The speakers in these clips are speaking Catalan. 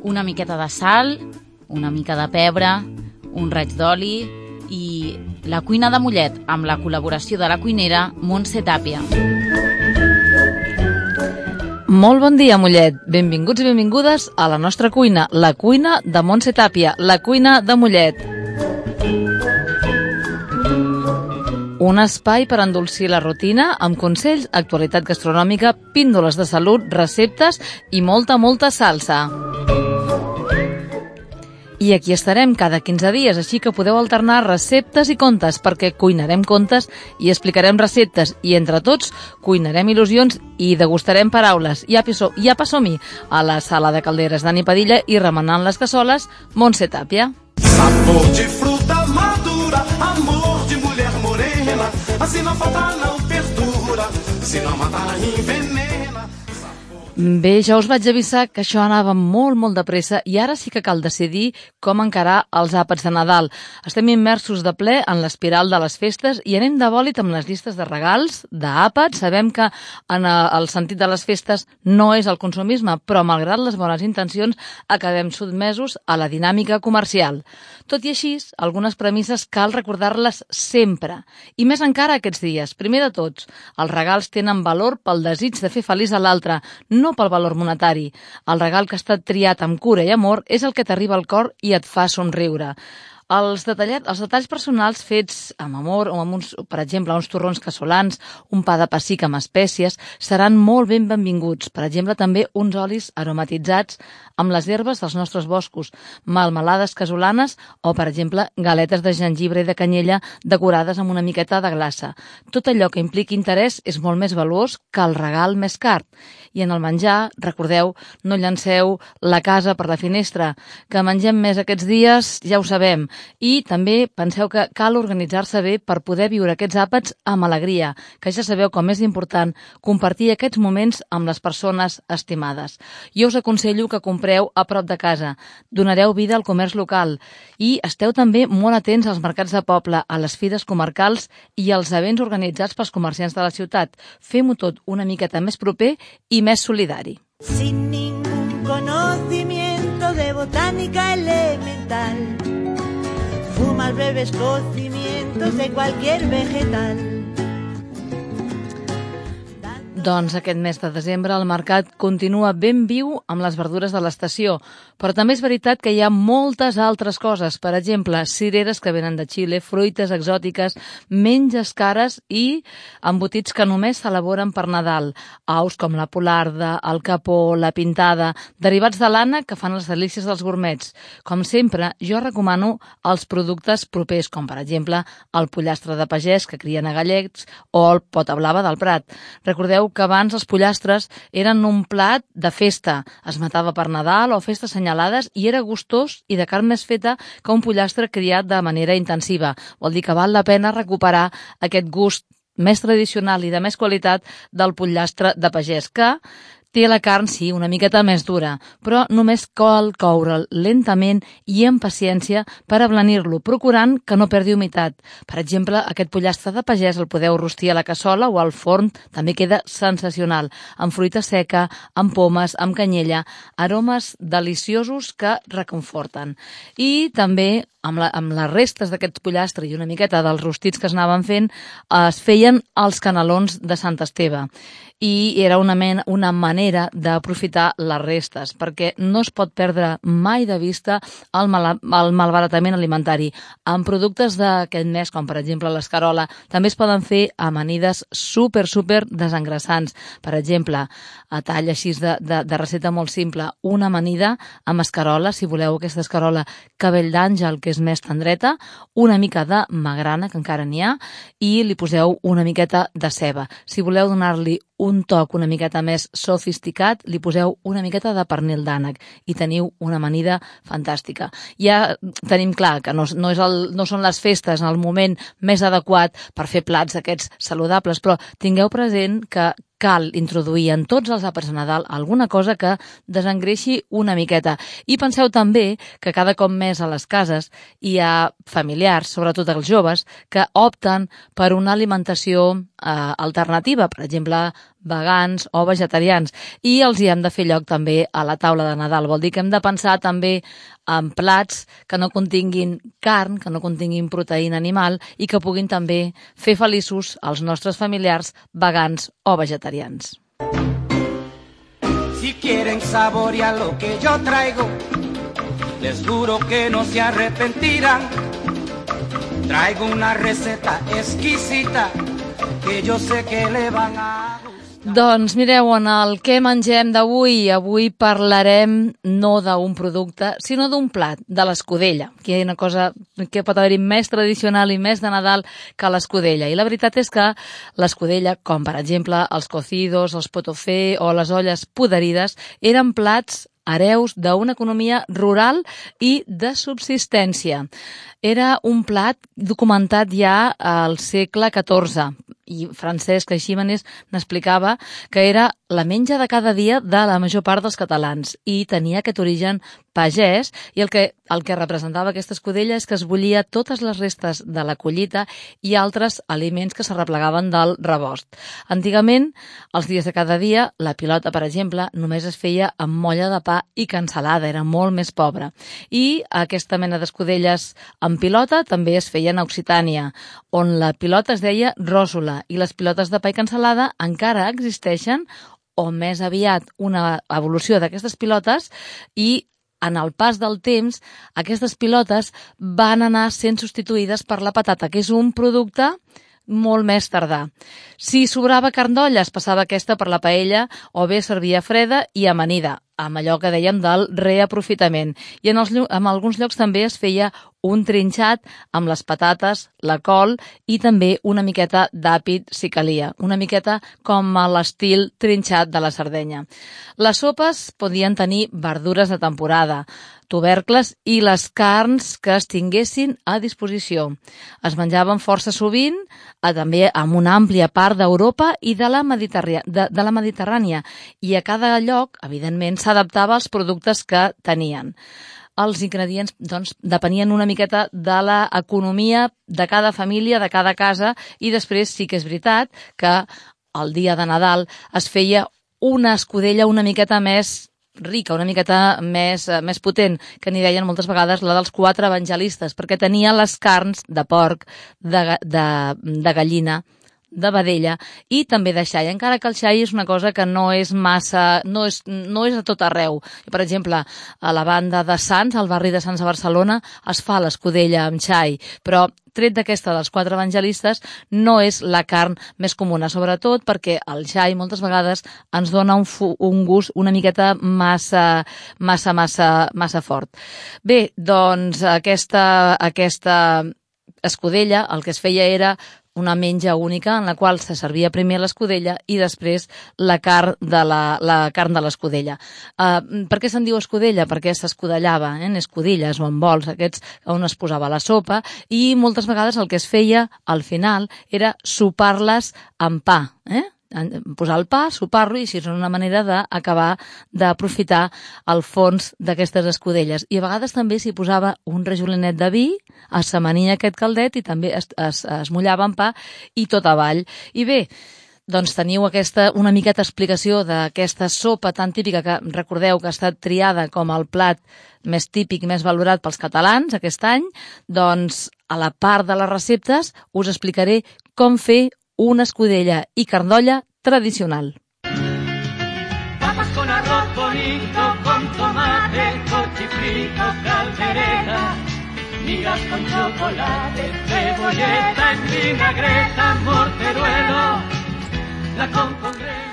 una miqueta de sal, una mica de pebre, un raig d'oli i la cuina de Mollet amb la col·laboració de la cuinera Montse Tàpia. Molt bon dia, Mollet. Benvinguts i benvingudes a la nostra cuina, la cuina de Montse Tàpia, la cuina de Mollet. Un espai per endolcir la rutina amb consells, actualitat gastronòmica, píndoles de salut, receptes i molta salsa. I aquí estarem cada 15 dies, així que podeu alternar receptes i contes, perquè cuinarem contes i explicarem receptes, i entre tots cuinarem il·lusions i degustarem paraules. I apa som-hi a la sala de calderes Dani Padilla i remenant les cassoles, Montse Tàpia. Sabor de fruta madura, amor de mulher morena, assim não falta, não perdura, se não matar envenena. Bé, ja us vaig avisar que això anava molt de pressa i ara sí que cal decidir com encarar els àpats de Nadal. Estem immersos de ple en l'espiral de les festes i anem de bòlit amb les llistes de regals, d'àpats. Sabem que en el sentit de les festes no és el consumisme, però malgrat les bones intencions acabem sotmesos a la dinàmica comercial. Tot i així, algunes premisses cal recordar-les sempre, i més encara aquests dies. Primer de tots, els regals tenen valor pel desig de fer feliç a l'altre, no pel valor monetari. El regal que ha estat triat amb cura i amor és el que t'arriba al cor i et fa somriure. Els detalls personals fets amb amor o amb per exemple, uns torrons casolans, un pa de pessic amb espècies, seran molt benvinguts. Per exemple, també uns olis aromatitzats amb les herbes dels nostres boscos, melmelades casolanes o, per exemple, galetes de gengibre i de canyella decorades amb una miqueta de glaça. Tot allò que impliqui interès és molt més valuós que el regal més car. I en el menjar, recordeu, no llanceu la casa per la finestra, que mengem més aquests dies, ja ho sabem. I també penseu que cal organitzar-se bé per poder viure aquests àpats amb alegria, que ja sabeu com és important compartir aquests moments amb les persones estimades. Jo us aconsello que compreu a prop de casa, donareu vida al comerç local i esteu també molt atents als mercats de poble, a les fires comarcals i als events organitzats pels comerciants de la ciutat. Fem-ho tot una miqueta més proper i més solidari. Sin ningún conocimiento de botánica elemental, fuma breves cocimientos de cualquier vegetal. Doncs aquest mes de desembre el mercat continua ben viu amb les verdures de l'estació, però també és veritat que hi ha moltes altres coses, per exemple, cireres que venen de Xile, fruites exòtiques, menges cares i embotits que només s'elaboren per Nadal, aus com la polarda, el capó, la pintada, derivats de l'ànec que fan les delícies dels gourmets. Com sempre, jo recomano els productes propers, com per exemple el pollastre de pagès que crien a Gallecs o el pota blava del Prat. Recordeu que abans els pollastres eren un plat de festa. Es matava per Nadal o festes assenyalades i era gustós i de carn més feta que un pollastre criat de manera intensiva. Vol dir que val la pena recuperar aquest gust més tradicional i de més qualitat del pollastre de pagès, que té la carn, sí, una miqueta més dura, però només cal coure'l lentament i amb paciència per ablanir-lo, procurant que no perdi humitat. Per exemple, aquest pollastre de pagès el podeu rostir a la cassola o al forn, també queda sensacional, amb fruita seca, amb pomes, amb canyella, aromes deliciosos que reconforten. I també amb les restes d'aquest pollastre i una miqueta dels rostits que es anaven fent, es feien els canelons de Sant Esteve. I era una manera d'aprofitar les restes, perquè no es pot perdre mai de vista el malbaratament alimentari. Amb productes d'aquest mes, com per exemple l'escarola, també es poden fer amanides super desengrasants. Per exemple, a tall així de recepta molt simple, una amanida amb escarola, si voleu aquesta escarola cabell d'àngel, que és més tendreta, una mica de magrana, que encara n'hi ha, i li poseu una miqueta de ceba. Si voleu donar-li un toc una miqueta més sofisticat, li poseu una miqueta de pernil d'ànec i teniu una amanida fantàstica. Ja tenim clar que no són les festes en el moment més adequat per fer plats aquests saludables, però tingueu present que cal introduir en tots els àpats de Nadal alguna cosa que desengreixi una miqueta. I penseu també que cada cop més a les cases hi ha familiars, sobretot els joves, que opten per una alimentació alternativa, per exemple, vegans o vegetarians, i els hi hem de fer lloc també a la taula de Nadal. Vol dir que hem de pensar també en plats que no continguin carn, que no continguin proteïna animal i que puguin també fer feliços els nostres familiars vegans o vegetarians. Si quieren saborear lo que yo traigo, les juro que no se arrepentirán. Traigo una receta exquisita que yo sé que le van a... Doncs mireu, en el Què mengem d'avui, avui parlarem no d'un producte, sinó d'un plat, de l'escudella, que hi ha una cosa que pot haver-hi més tradicional i més de Nadal que l'escudella. I la veritat és que l'escudella, com per exemple els cocidos, els pot-au-feu o les olles poderides, eren plats hereus d'una economia rural i de subsistència. Era un plat documentat ja al segle XIV, i Francesc Aixímenes n'explicava que era la menja de cada dia de la major part dels catalans i tenia aquest origen pagès, i el que representava aquesta escudella és que es bullia totes les restes de la collita i altres aliments que s'arreplegaven del rebost. Antigament, els dies de cada dia, la pilota, per exemple, només es feia amb molla de pa i cansalada, era molt més pobra. I aquesta mena d'escudelles amb pilota també es feien a Occitània, on la pilota es deia ròssola, i les pilotes de pa i cansalada encara existeixen, o més aviat una evolució d'aquestes pilotes, i en el pas del temps aquestes pilotes van anar sent substituïdes per la patata, que és un producte molt més tardà. Si sobrava carn d'olla, es passava aquesta per la paella o bé servia freda i amanida, amb allò que dèiem del reaprofitament. I en alguns llocs també es feia un trinxat amb les patates, la col i també una miqueta d'àpid si calia, una miqueta com a l'estil trinxat de la Sardenya. Les sopes podien tenir verdures de temporada, tubercles i les carns que es tinguessin a disposició. Es menjaven força sovint, també amb una àmplia part d'Europa i de la Mediterrània, i a cada lloc, evidentment, s'adaptava als productes que tenien. Els ingredients, doncs, depenien una miqueta de l'economia de cada família, de cada casa, i després sí que és veritat que el dia de Nadal es feia una escudella una miqueta més rica, una miqueta més potent, que n'hi deien moltes vegades la dels 4 evangelistes, perquè tenia les carns de porc, de gallina, de vedella i també de xai, encara que el xai és una cosa que no és massa, no és a tot arreu. Per exemple, a la banda de Sants, al barri de Sants a Barcelona, es fa l'escudella amb xai, però tret d'aquesta dels 4 evangelistes no és la carn més comuna, sobretot perquè el xai moltes vegades ens dona un gust una miqueta massa fort. Bé, doncs aquesta escudella el que es feia era una menja única en la qual se servia primer l'escudella i després la carn de l'escudella. Per què se'n diu escudella? Perquè s'escudellava, en escudilles o en bols aquests on es posava la sopa, i moltes vegades el que es feia al final era sopar-les amb pa, posar el pa, sopar-lo, i així és una manera d'acabar d'aprofitar el fons d'aquestes escudelles. I a vegades també s'hi posava un rajolinet de vi, es s'amania aquest caldet i també es mullava en pa i tot avall. I bé, doncs teniu una miqueta explicació d'aquesta sopa tan típica que recordeu que ha estat triada com el plat més típic, més valorat pels catalans aquest any. Doncs a la part de les receptes us explicaré com fer una escudella y carn d'olla tradicional. Papas con arroz bonito, con tomate, cochifrito, caldereta, migas con chocolate, cebolleta en vinagreta, morteruelo, la con congredo.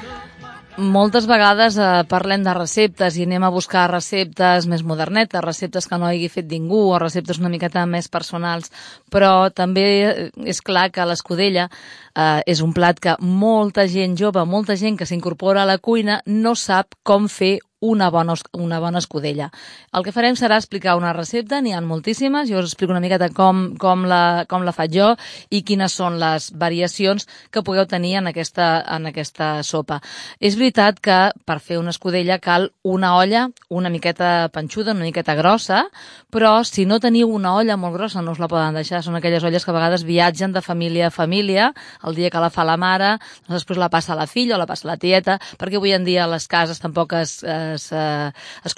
Moltes vegades parlem de receptes i anem a buscar receptes més modernetes, receptes que no hagi fet ningú o receptes una miqueta més personals, però també és clar que l'escudella és un plat que molta gent jove, molta gent que s'incorpora a la cuina no sap com fer una bona escudella. El que farem serà explicar una recepta, n'hi ha moltíssimes, jo us explico una miqueta com la faig jo i quines són les variacions que pugueu tenir en aquesta sopa. És veritat que per fer una escudella cal una olla una miqueta panxuda, una miqueta grossa, però si no teniu una olla molt grossa no us la poden deixar. Són aquelles olles que a vegades viatgen de família a família, el dia que la fa la mare, després la passa a la filla o la passa a la tieta, perquè avui en dia les cases tampoc es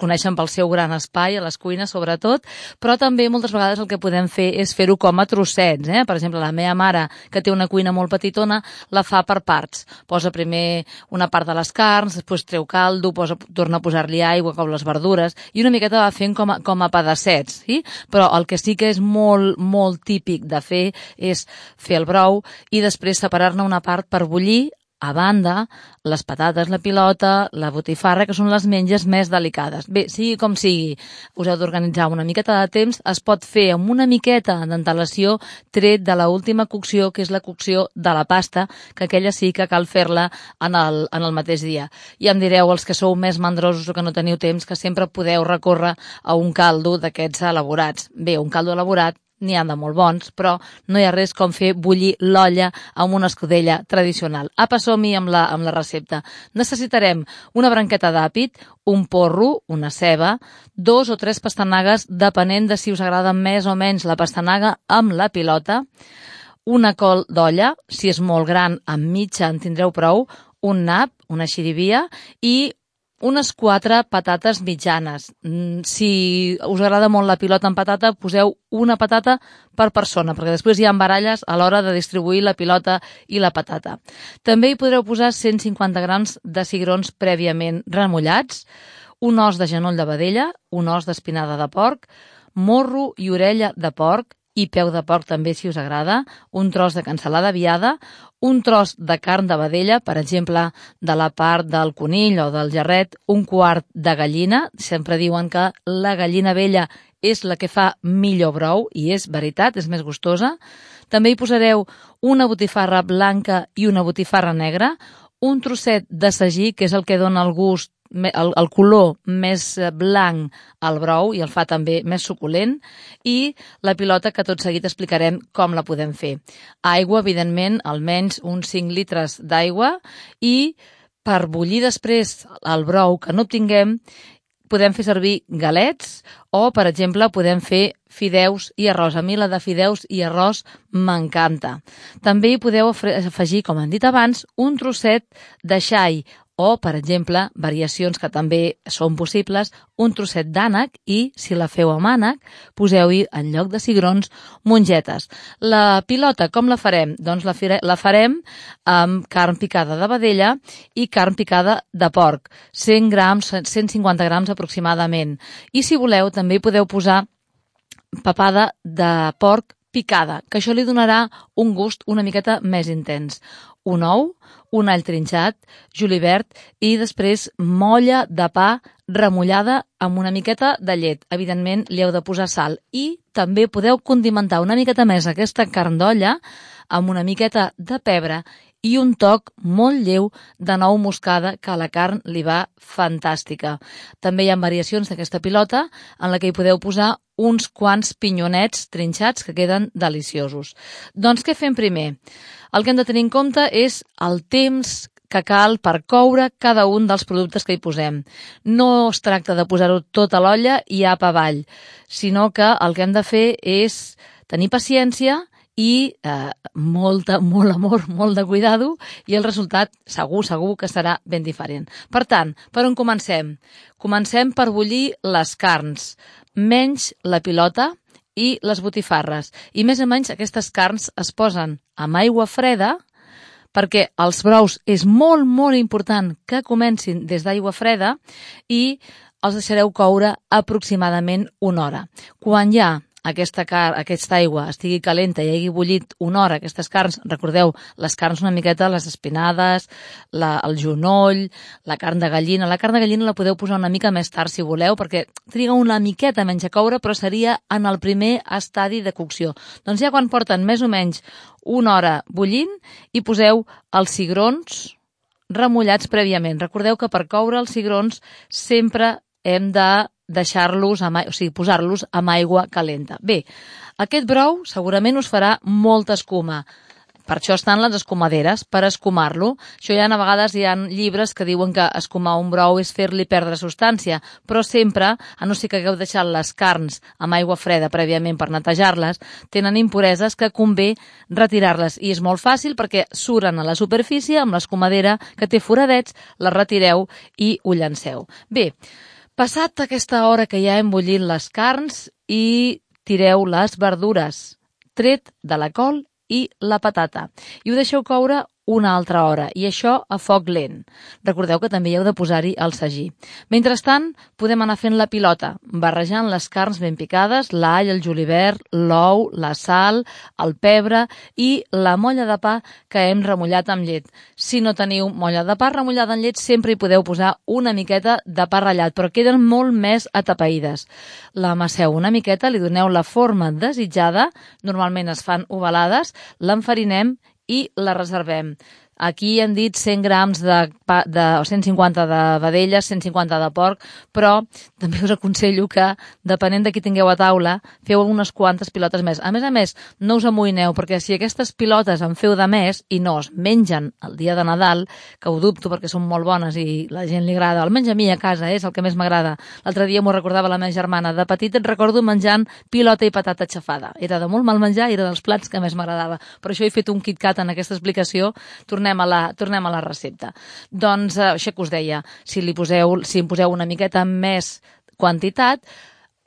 coneixen pel seu gran espai, a les cuines sobretot, però també moltes vegades el que podem fer és fer-ho com a trossets. Per exemple, la meva mare, que té una cuina molt petitona, la fa per parts. Posa primer una part de les carns, després treu caldo, torna a posar-li aigua com les verdures, i una miqueta va fent com a pedaçets, sí? Però el que sí que és molt, molt típic de fer és fer el brou i després separar-ne una part per bullir, a banda, les patates, la pilota, la botifarra, que són les menges més delicades. Bé, sigui com sigui, us heu d'organitzar una miqueta de temps, es pot fer amb una miqueta d'antelació tret de l'última cocció, que és la cocció de la pasta, que aquella sí que cal fer-la en el mateix dia. I em direu, els que sou més mandrosos o que no teniu temps, que sempre podeu recórrer a un caldo d'aquests elaborats. Bé, un caldo elaborat n'hi ha de molt bons, però no hi ha res com fer bullir l'olla amb una escudella tradicional. Apa, som-hi amb la recepta. Necessitarem una branqueta d'àpid, un porro, una ceba, 2 o 3 pastanagues, depenent de si us agrada més o menys la pastanaga amb la pilota, una col d'olla, si és molt gran, amb mitja en tindreu prou, un nap, una xirivia i unes 4 patates mitjanes. Si us agrada molt la pilota amb patata, poseu una patata per persona, perquè després hi ha baralles a l'hora de distribuir la pilota i la patata. També hi podreu posar 150 grams de cigrons prèviament remullats, un os de genoll de vedella, un os d'espinada de porc, morro i orella de porc, i peu de porc també si us agrada, un tros de cansalada viada, un tros de carn de vedella, per exemple, de la part del conill o del jarret, un quart de gallina. Sempre diuen que la gallina vella és la que fa millor brou, i és veritat, és més gustosa. També hi posareu una botifarra blanca i una botifarra negra, un trosset de sagí, que és el que dona el gust, el color més blanc al brou i el fa també més suculent, i la pilota, que tot seguit explicarem com la podem fer. Aigua, evidentment, almenys uns 5 litres d'aigua, i per bullir després el brou que no obtinguem podem fer servir galets o, per exemple, podem fer fideus i arròs. A mi la de fideus i arròs m'encanta. També hi podeu afegir, com hem dit abans, un trosset de xai o, per exemple, variacions que també són possibles, un trosset d'ànec i, si la feu amb ànec, poseu-hi, en lloc de cigrons, mongetes. La pilota, com la farem? Doncs la farem amb carn picada de vedella i carn picada de porc, 100 grams, 150 grams aproximadament. I, si voleu, també hi podeu posar papada de porc picada, que això li donarà un gust una miqueta més intens. Un ou, un all trinxat, julivert i després molla de pa remullada amb una miqueta de llet. Evidentment, li heu de posar sal. I també podeu condimentar una miqueta més aquesta carn d'olla amb una miqueta de pebre i un toc molt lleu de nou moscada, que a la carn li va fantàstica. També hi ha variacions d'aquesta pilota en la que hi podeu posar uns quants pinyonets trinxats que queden deliciosos. Doncs què fem primer? El que hem de tenir en compte és el temps que cal per coure cada un dels productes que hi posem. No es tracta de posar-ho tot a l'olla i apa avall, sinó que el que hem de fer és tenir paciència i molt amor, molt de cuidado, i el resultat segur que serà ben diferent. Per tant, per on comencem? Comencem per bullir les carns, menys la pilota i les botifarres. I més o menys aquestes carns es posen amb aigua freda, perquè els brous és molt, molt important que comencin des d'aigua freda, i els deixareu coure aproximadament 1 hora. Quan ja aquesta aigua estigui calenta i hagi bullit 1 hora, aquestes carns, recordeu, les carns una miqueta, les espinades, el genoll, la carn de gallina. La carn de gallina la podeu posar una mica més tard si voleu, perquè triga una miqueta menys a coure, però seria en el primer estadi de cocció. Doncs ja quan porten més o menys 1 hora bullint, hi poseu els cigrons remullats prèviament. Recordeu que per coure els cigrons sempre hem de deixar-los, posar-los amb aigua calenta. Bé, aquest brou segurament us farà molta escuma. Per això estan les escumaderes, per escumar-lo. Això a vegades hi ha llibres que diuen que escumar un brou és fer-li perdre substància, però sempre, a no ser que hagueu deixat les carns amb aigua freda prèviament per netejar-les, tenen impureses que convé retirar-les. I és molt fàcil perquè suren a la superfície amb l'escumadera que té foradets, les retireu i ho llanceu. Bé, passat aquesta hora que ja hem bullit les carns i tireu les verdures, tret de la col i la patata. I ho deixeu coure una altra hora, i això a foc lent. Recordeu que també hi heu de posar-hi el sagí. Mentrestant, podem anar fent la pilota, barrejant les carns ben picades, l'all, el julivert, l'ou, la sal, el pebre i la molla de pa que hem remullat amb llet. Si no teniu molla de pa remullada en llet, sempre hi podeu posar una miqueta de pa ratllat, però queden molt més atapeïdes. L'amasseu una miqueta, li doneu la forma desitjada, normalment es fan ovalades, l'enfarinem i la reservem. Aquí hem dit 100 grams o 150 de vedelles, 150 de porc, però també us aconsello que, depenent de qui tingueu a taula, feu unes quantes pilotes més. A més, no us amoïneu, perquè si aquestes pilotes en feu de més i no es mengen el dia de Nadal, que ho dubto perquè són molt bones i la gent li agrada, almenys a mi a casa és el que més m'agrada. L'altre dia m'ho recordava la meva germana. De petita et recordo menjant pilota i patata xafada. Era de molt mal menjar i era dels plats que més m'agradava. Per això he fet un KitKat en aquesta explicació. Tornem a la recepta. Doncs això que us deia, si em poseu una miqueta més quantitat,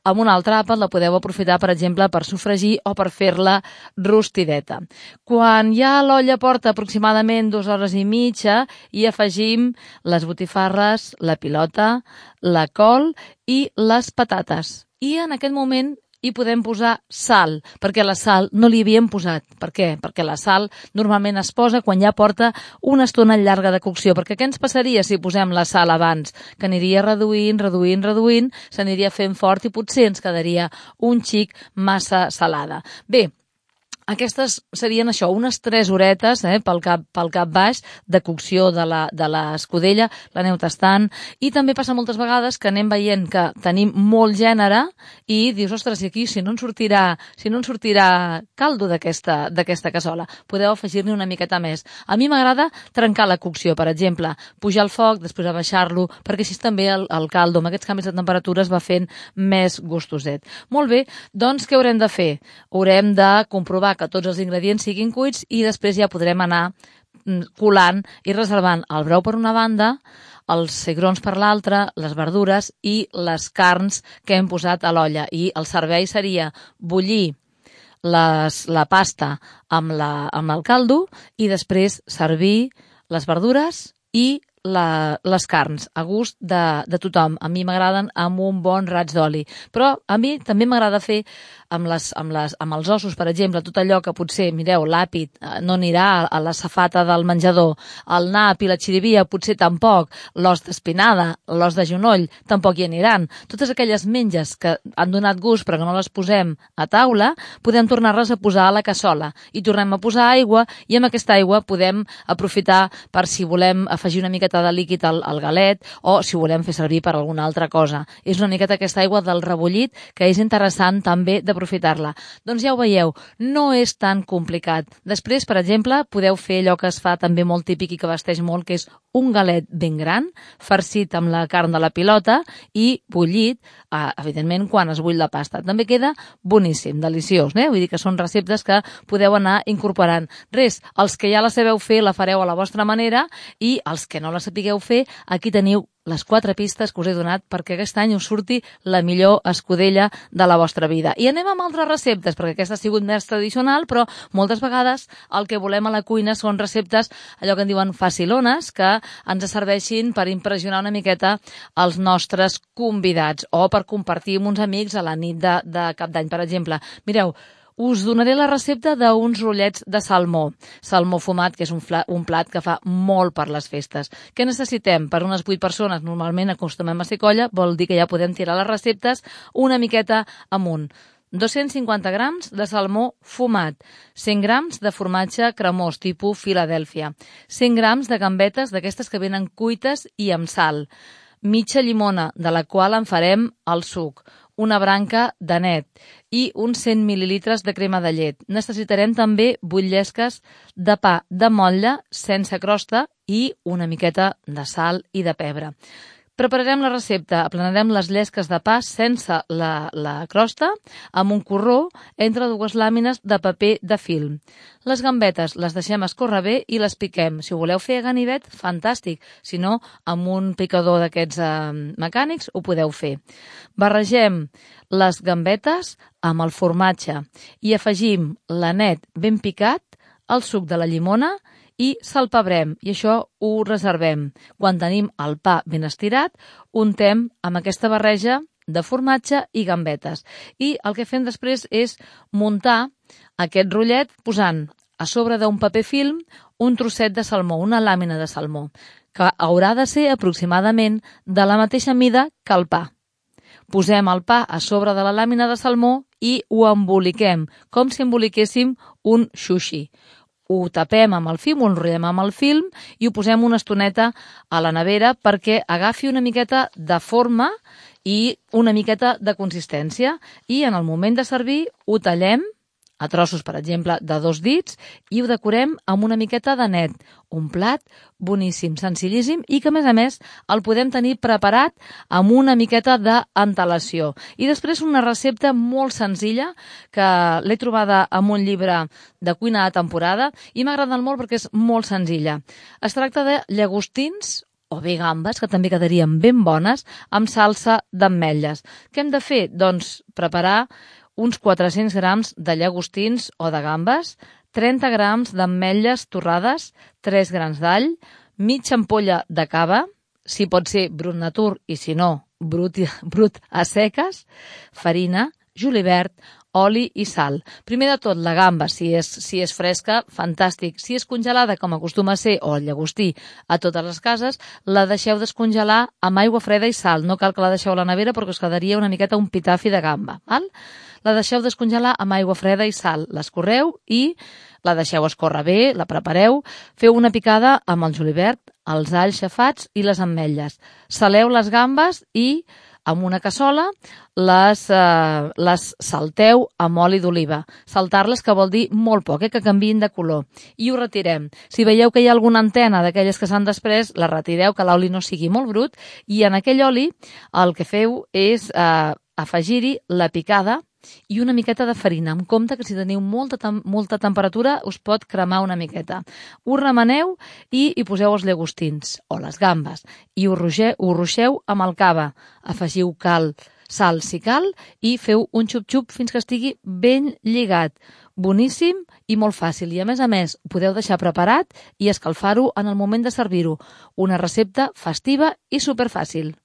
amb un altre àpat la podeu aprofitar, per exemple, per sofregir o per fer-la rostideta. Quan ja l'olla porta aproximadament 2 hores i mitja, hi afegim les botifarres, la pilota, la col i les patates. I en aquest moment hi podem posar sal, perquè la sal no li havíem posat. Per què? Perquè la sal normalment es posa quan ja porta una estona llarga de cocció, perquè què ens passaria si posem la sal abans? Que aniria reduint, s'aniria fent fort i potser ens quedaria un xic massa salada. Bé, aquestes serien això, unes 3 horetes pel cap baix de cocció de l'escudella, l'aneu tastant, i també passa moltes vegades que anem veient que tenim molt gènere i dius, ostres, i aquí si no en sortirà caldo d'aquesta cassola, podeu afegir-ne una miqueta més. A mi m'agrada trencar la cocció, per exemple, pujar el foc, després abaixar-lo, perquè així també el caldo, amb aquests canvis de temperatura, es va fent més gustoset. Molt bé, doncs què haurem de fer? Haurem de comprovar que tots els ingredients siguin cuits i després ja podrem anar colant i reservant el brou per una banda, els cigrons per l'altra, les verdures i les carns que hem posat a l'olla. I el servei seria bullir la pasta amb el caldo i després servir les verdures i les carns, a gust de tothom. A mi m'agraden amb un bon raig d'oli, però a mi també m'agrada fer amb els ossos, per exemple, tot allò que potser, mireu, l'àpid no anirà a la safata del menjador, el nap i la xirivia potser tampoc, l'os d'espinada, l'os de genoll tampoc hi aniran. Totes aquelles menges que han donat gust però que no les posem a taula, podem tornar-les a posar a la cassola i tornem a posar aigua, i amb aquesta aigua podem aprofitar per si volem afegir una miqueta de líquid al galet o si volem fer servir per alguna altra cosa. És una miqueta aquesta aigua del rebullit que és interessant també d'aprofitar-la. Doncs ja ho veieu, no és tan complicat. Després, per exemple, podeu fer allò que es fa també molt típic i que vesteix molt, que és un galet ben gran, farcit amb la carn de la pilota i bullit, evidentment, quan es bull la pasta. També queda boníssim, deliciós, Vull dir que són receptes que podeu anar incorporant. Res, els que ja la sabeu fer la fareu a la vostra manera i els que no la sapigueu fer, aquí teniu les 4 pistes que us he donat perquè aquest any us surti la millor escudella de la vostra vida. I anem amb altres receptes, perquè aquesta ha sigut més tradicional, però moltes vegades el que volem a la cuina són receptes, allò que en diuen facilones, que ens serveixin per impressionar una miqueta els nostres convidats o per compartir amb uns amics a la nit de Cap d'Any, per exemple. Mireu, us donaré la recepta d'uns rotllets de salmó. Salmó fumat, que és un plat que fa molt per les festes. Què necessitem? Per unes 8 persones, normalment acostumem a ser colla, vol dir que ja podem tirar les receptes una miqueta amunt. 250 grams de salmó fumat, 100 grams de formatge cremós tipus Filadèlfia, 100 grams de gambetes d'aquestes que venen cuites i amb sal, mitja llimona, de la qual en farem el suc, una branca d'anet i uns 100 mil·lilitres de crema de llet. Necessitarem també 8 llesques de pa de motlle sense crosta i una miqueta de sal i de pebre. Prepararem la recepta, aplanarem les llesques de pa sense la crosta amb un corró entre 2 làmines de paper de film. Les gambetes les deixem escórrer bé i les piquem. Si ho voleu fer a ganivet, fantàstic. Si no, amb un picador d'aquests mecànics ho podeu fer. Barregem les gambetes amb el formatge i afegim l'anet ben picat, el suc de la llimona i salpebrem, i això ho reservem. Quan tenim el pa ben estirat, untem amb aquesta barreja de formatge i gambetes. I el que fem després és muntar aquest rotllet posant a sobre d'un paper film un trosset de salmó, una làmina de salmó, que haurà de ser aproximadament de la mateixa mida que el pa. Posem el pa a sobre de la làmina de salmó i ho emboliquem, com si emboliquéssim un sushi. Ho tapem amb el film, ho enrotllem amb el film i ho posem una estoneta a la nevera perquè agafi una miqueta de forma i una miqueta de consistència. I en el moment de servir ho tallem a trossos, per exemple, de 2 dits i ho decorem amb una miqueta de net. Un plat boníssim, senzillíssim i que, a més, el podem tenir preparat amb una miqueta d'antelació. I després una recepta molt senzilla que l'he trobada en un llibre de cuina de temporada i m'ha agradat molt perquè és molt senzilla. Es tracta de llagostins o bé gambes, que també quedarien ben bones, amb salsa d'ametlles. Què hem de fer? Doncs preparar uns 400 grams de llagostins o de gambes, 30 grams d'ametlles torrades, 3 grans d'all, mitja ampolla de cava, si pot ser brut natur i si no, brut a seques, farina, julivert, oli i sal. Primer de tot, la gamba, si és fresca, fantàstic. Si és congelada, com acostuma a ser, o el llagostí a totes les cases, la deixeu descongelar amb aigua freda i sal. No cal que la deixeu a la nevera perquè us quedaria una miqueta un pitafi de gamba. Val? La deixeu descongelar amb aigua freda i sal. L'escorreu i la deixeu escórrer bé, la prepareu. Feu una picada amb el julivert, els alls xafats i les ametlles. Saleu les gambes i amb una cassola les salteu amb oli d'oliva. Saltar-les, que vol dir molt poc, que canviïn de color. I ho retirem. Si veieu que hi ha alguna antena d'aquelles que s'han desprès, la retireu, que l'oli no sigui molt brut, i en aquell oli el que feu és afegir-hi la picada i una miqueta de farina. En compte que si teniu molta temperatura us pot cremar una miqueta. Ho remeneu i hi poseu els llagostins o les gambes i ho ruixeu amb el cava. Afegiu sal si cal i feu un xup-xup fins que estigui ben lligat. Boníssim i molt fàcil. I a més, podeu deixar preparat i escalfar-ho en el moment de servir-ho. Una recepta festiva i superfàcil.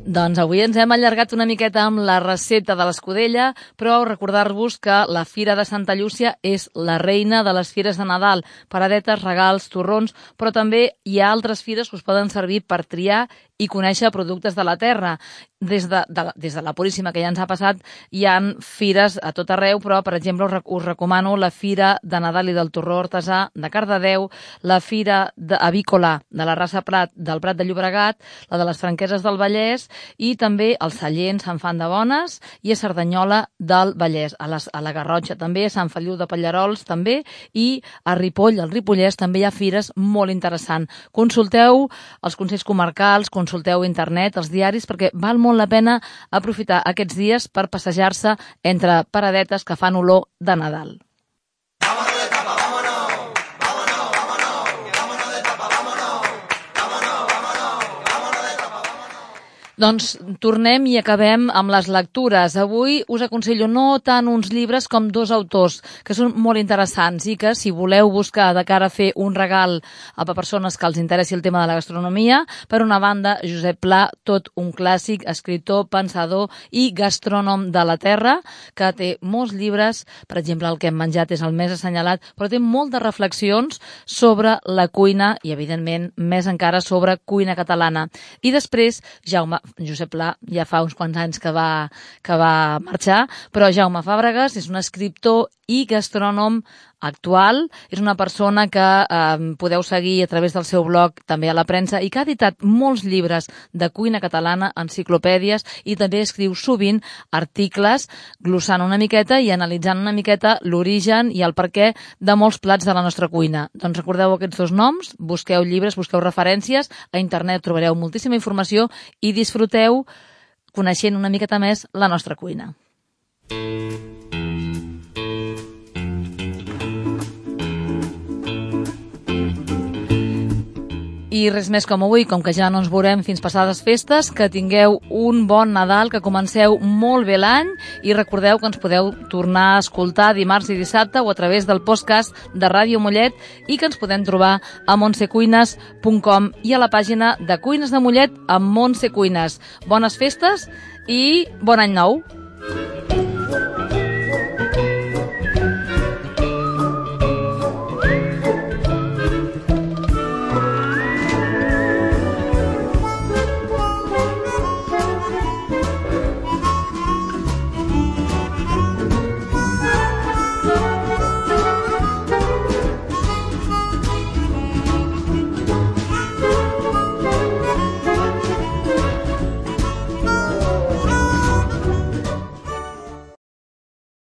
Doncs avui ens hem allargat una miqueta amb la recepta de l'escudella, però recordar-vos que la Fira de Santa Llúcia és la reina de les fires de Nadal, paradetes, regals, torrons, però també hi ha altres fires que us poden servir per triar i conèixer productes de la terra. Des de la Puríssima, que ja ens ha passat, hi ha fires a tot arreu, però, per exemple, us recomano la Fira de Nadal i del Torró Artesà de Cardedeu, la Fira Avícola de la Rasa Prat del Prat de Llobregat, la de les Franqueses del Vallès i també el Sallent, Sant Fan de Bones i a Cerdanyola del Vallès, a la Garrotxa també, a Sant Feliu de Pallarols també i a Ripoll, al Ripollès, també hi ha fires molt interessants. Consulteu els consells comarcals, consulteu internet, els diaris, perquè val molt la pena aprofitar aquests dies per passejar-se entre paradetes que fan olor de Nadal. Doncs tornem i acabem amb les lectures. Avui us aconsello no tant uns llibres com 2 autors que són molt interessants i que, si voleu buscar de cara a fer un regal a persones que els interessi el tema de la gastronomia, per una banda, Josep Pla, tot un clàssic, escriptor, pensador i gastrònom de la terra, que té molts llibres, per exemple, El que hem menjat és el més assenyalat, però té moltes reflexions sobre la cuina i, evidentment, més encara sobre cuina catalana. I després, Josep Pla ja fa uns quants anys que va marxar, però Jaume Fàbregas és un escriptor i gastrònom actual, és una persona que podeu seguir a través del seu blog, també a la premsa, i que ha editat molts llibres de cuina catalana, enciclopèdies, i també escriu sovint articles glossant una miqueta i analitzant una miqueta l'origen i el perquè de molts plats de la nostra cuina. Doncs recordeu aquests 2 noms, busqueu llibres, busqueu referències, a internet trobareu moltíssima informació i disfruteu coneixent una miqueta més la nostra cuina. I res més com avui, com que ja no ens veurem fins passades festes, que tingueu un bon Nadal, que comenceu molt bé l'any i recordeu que ens podeu tornar a escoltar dimarts i dissabte o a través del podcast de Ràdio Mollet i que ens podem trobar a montsecuines.com i a la pàgina de Cuines de Mollet amb Montse Cuines. Bones festes i bon any nou!